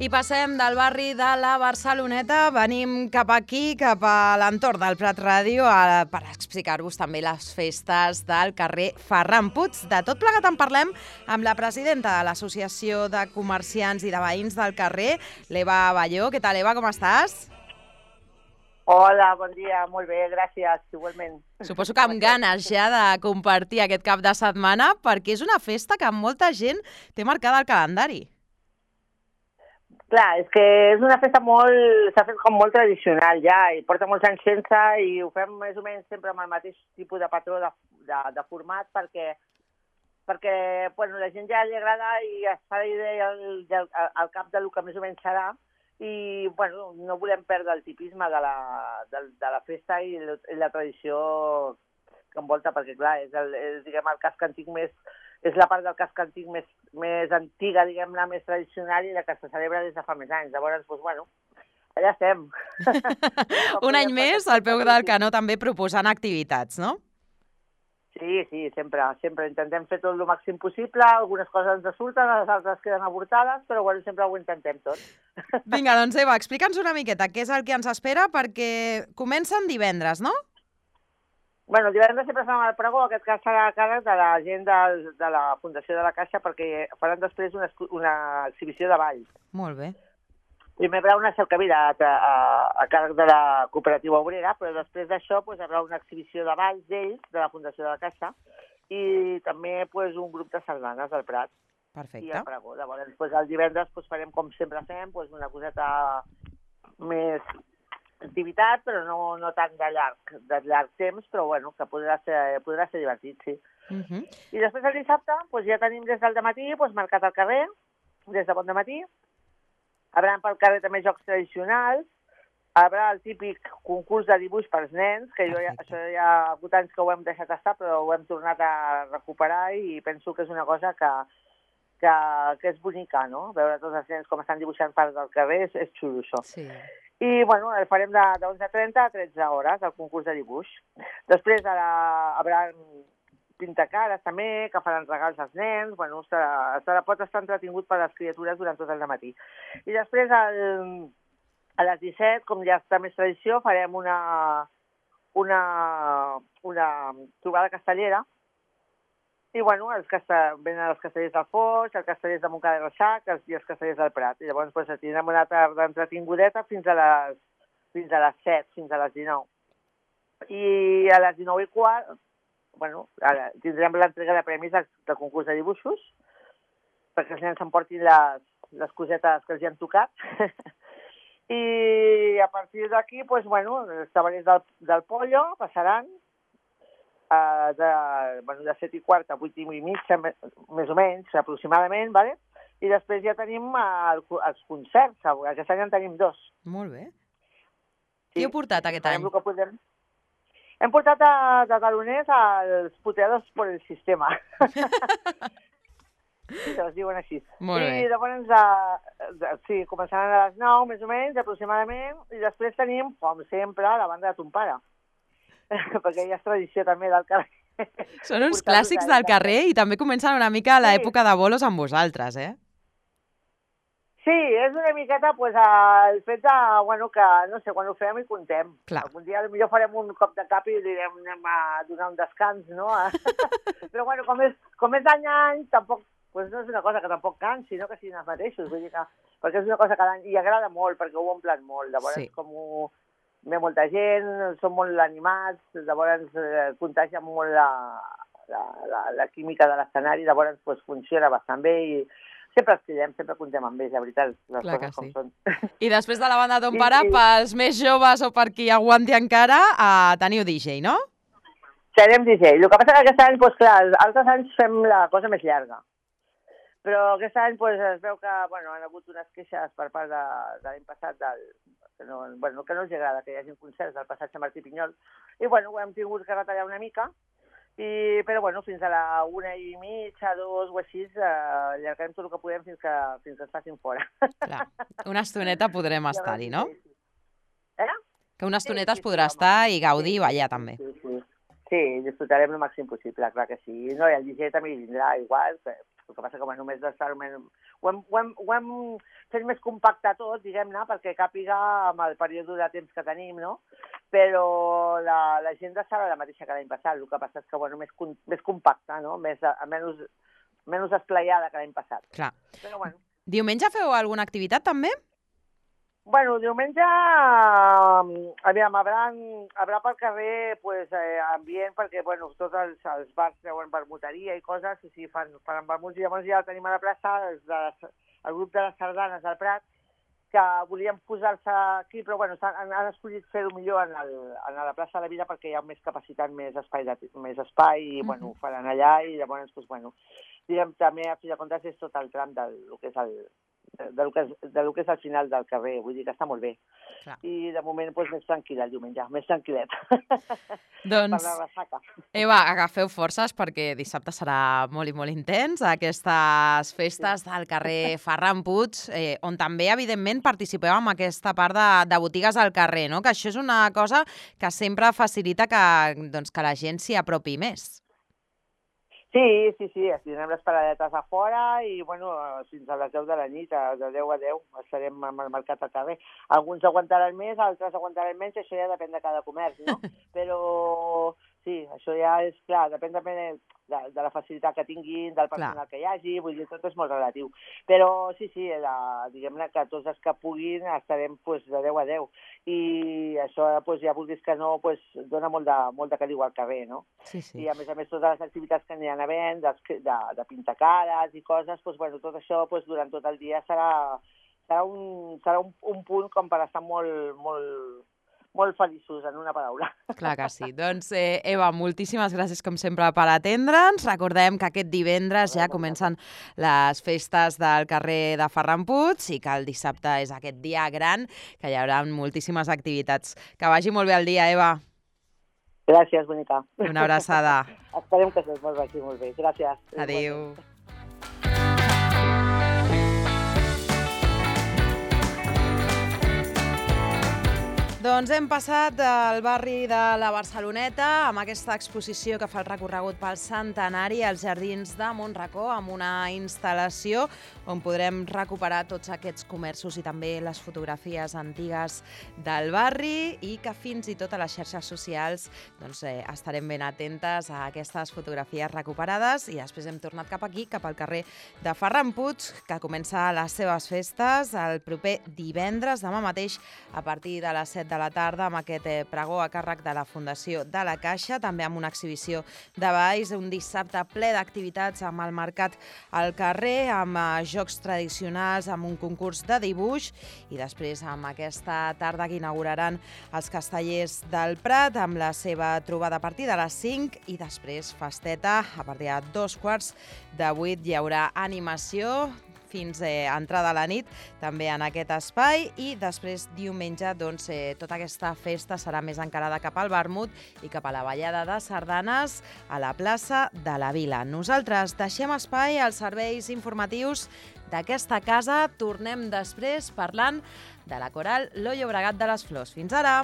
I passem del barri de la Barceloneta, venim cap aquí, cap a l'entorn del Prat Ràdio, per explicar-vos també les festes del carrer Ferran Puig. De tot plegat en parlem amb la presidenta de l'Associació de Comerciants i de Veïns del Carrer, l'Eva Balló. Què tal, Eva, com estàs? Hola, bon dia, molt bé, gràcies, igualment. Suposo que amb ganes ja de compartir aquest cap de setmana, perquè és una festa que molta gent té marcada al calendari. Clar, és que és una festa s'ha fet com molt tradicional ja, i porta molts anys sense, i ho fem més o menys sempre amb el mateix tipus de patró de format, perquè bueno, la gent ja li agrada i es fa la idea al cap del que més o menys serà, i bueno, no volem perdre el tipisme de la festa i la tradició que envolta, perquè clar, és diguem, el casc antic és la part del casc antic més antiga, diguem-ne, més tradicional, i la que se celebra des de fa més anys. Llavors, doncs, bueno, allà estem. Un any més, al peu del canó, també proposant activitats, no? Sí, sempre intentem fer tot el màxim possible. Algunes coses ens surten, les altres queden avortades, però bueno, sempre ho intentem tot. Vinga, doncs Eva, explica'ns una miqueta què és el que ens espera, perquè comencen divendres, no? Bueno, el divendres sempre fem el pregó, aquest cas serà a càrrec de la gent de la Fundació de la Caixa, perquè faran després una exhibició de ball. Molt bé. Primer hi haurà una cercavila a càrrec de la cooperativa obrera, però després d'això hi haurà una exhibició de balls d'ells, de la Fundació de la Caixa, i també un grup de sardanes del Prat. Perfecte. I el pregó. Llavors, el divendres farem, com sempre fem, una coseta més activitat, però no tant de llarg temps, però bueno, que podrà ser divertit, sí. I després el dissabte ja tenim des del dematí marcat al carrer, des de bon dematí. Hi haurà pel carrer també jocs tradicionals, hi haurà el típic concurs de dibuix pels nens, que això ja ha hagut anys que ho hem deixat estar, però ho hem tornat a recuperar i penso que és una cosa que és bonica, no? Veure tots els nens com estan dibuixant parts del carrer és xulo, això. Sí. I, bueno, el farem de 11:30 a 13 hores, el concurs de dibuix. Després hi haurà pintacares també, que faran regals als nens. Bueno, pot estar entretingut per les criatures durant tot el dematí. I després, a les 17, com ja està més tradició, farem una trobada castellera. I, bueno, venen els castellers del Foix, els castellers de Montcada i Reixac i els castellers del Prat. I llavors tindrem una tarda entretingudeta fins a les 7, fins a les 19. I a les 19:15, bueno, tindrem l'entrega de premis del concurs de dibuixos, perquè els nens s'emportin les cosetes que els hi han tocat. I a partir d'aquí, bueno, els tabalers del Pollo passaran, de 7:15 a 8:30, més o menys, aproximadament, ¿vale? I després ja tenim els concerts. Aquest any en tenim 2. Molt bé. Qui heu portat aquest any? Hem portat de taloners els puteados por el sistema. Sí, es diuen així. Molt bé. I llavors, sí, començaran a les 9, més o menys, aproximadament, i després tenim, com sempre, la banda de ton pare. Perquè ja és tradició també del carrer. Són uns clàssics del carrer i també comencen una mica a l'època de bolos amb vosaltres, eh? Sí, és una miqueta el fet de, bueno, que, no sé, quan ho fem i contem. Clar. Algun dia potser farem un cop de cap i direm anem a donar un descans, no? Però, bueno, com és d'any a any, tampoc, no és una cosa que tampoc cansi, sinó que siguin els mateixos. Vull dir que, perquè és una cosa que i agrada molt, perquè ho omplen molt. Llavors, sí. Com ve molta gent, són molt animats, llavors contagia molt la química de l'escenari, llavors funciona bastant bé i sempre els cridem, sempre contem amb ells, la veritat, les coses com són. I després de la banda de ton pare, pels més joves o per qui aguanti encara, teniu DJ, no? Serem DJ. El que passa que aquest any, clar, altres anys fem la cosa més llarga. Però aquest any es veu que han hagut unes queixes per part de l'any passat que no els agrada que hi hagi concerts del passatge Martí Pinyol. I ho hem tingut que retallar una mica, però fins a la 1:30, 2 o així, allargarem tot el que podem fins que ens facin fora. Clar, una estoneta podrem estar-hi, no? Que una estoneta es sí, podrà estar i gaudir i ballar també. Sí, disfrutarem el màxim possible, clar que sí. No, i el DJ també hi vindrà igual, El que passa que, bueno, ho hem fet més compacte tot, diguem-ne, perquè càpiga amb el període de temps que tenim, no? Però l'agenda serà la mateixa que l'any passat, el que passa és que, bueno, més compacta, no? Menys esplaiada que l'any passat. Clar. Però, bueno. Diumenge feu alguna activitat, també? Bueno, diumenge, aviam, haurà pel carrer ambient, perquè, bueno, tots els bars treuen vermuteria i coses, i sí, fan vermuts, i llavors ja tenim a la plaça el grup de les sardanes del Prat, que volíem posar-se aquí, però bueno, han escollit fer-ho millor a la plaça de la Vila perquè hi ha més capacitat, més espai i bueno, ho faran allà i llavors, doncs, bueno, diguem, també a fi de comptes és tot el tram del que és el final del carrer, vull dir que està molt bé. Clar. I de moment doncs, més tranquil el diumenge, més tranquil·let. Doncs, per la ressaca. Eva, agafeu forces perquè dissabte serà molt i molt intens, aquestes festes del carrer Ferran Puig, on també, evidentment, participeu en aquesta part de botigues al carrer, no? Que això és una cosa que sempre facilita que la gent s'hi apropi més. Sí, tindrem les paradetes a fora i, bueno, fins a les 10 de la nit, de 10 a 10, estarem amb el mercat al carrer. Alguns aguantaran més, altres aguantaran menys, això ja depèn de cada comerç, no? Però sí, això ja és clar, depèn també de la facilitat que tinguin, del personal que hi hagi, vull dir, tot és molt relatiu. Però sí, diguem-ne que tots els que puguin estarem de 10 a 10. I això, ja vulguis que no, dona molt de caliu al carrer, no? Sí. I a més, totes les activitats que aniran havent, de pintar cares i coses, bueno, tot això durant tot el dia serà un punt com per estar molt feliços, en una paraula. Clar que sí. Doncs, Eva, moltíssimes gràcies, com sempre, per atendre'ns. Recordem que aquest divendres ja comencen les festes del carrer de Ferran Puig i que el dissabte és aquest dia gran, que hi haurà moltíssimes activitats. Que vagi molt bé el dia, Eva. Gràcies, bonica. Una abraçada. Esperem que es vagi molt bé. Gràcies. Adéu. Doncs hem passat del barri de la Barceloneta amb aquesta exposició que fa el recorregut pel centenari als jardins de Montracó, amb una instal·lació on podrem recuperar tots aquests comerços i també les fotografies antigues del barri i que fins i tot a les xarxes socials estarem ben atentes a aquestes fotografies recuperades i després hem tornat cap aquí, cap al carrer de Ferran Puig, que comença les seves festes el proper divendres, demà mateix, a partir de les 7 de la tarda, amb aquest pregó a càrrec de la Fundació de la Caixa, també amb una exhibició de balls, un dissabte ple d'activitats amb el mercat al carrer, amb jocs tradicionals, amb un concurs de dibuix i després amb aquesta tarda que inauguraran els Castellers del Prat amb la seva trobada a partir de les 5 i després festeta a partir de 7:15 hi haurà animació fins a entrada a la nit, també en aquest espai, i després diumenge tota aquesta festa serà més encarada cap al vermut i cap a la ballada de sardanes a la plaça de la Vila. Nosaltres deixem espai als serveis informatius d'aquesta casa, tornem després parlant de la coral Lo Llobregat de les Flors. Fins ara!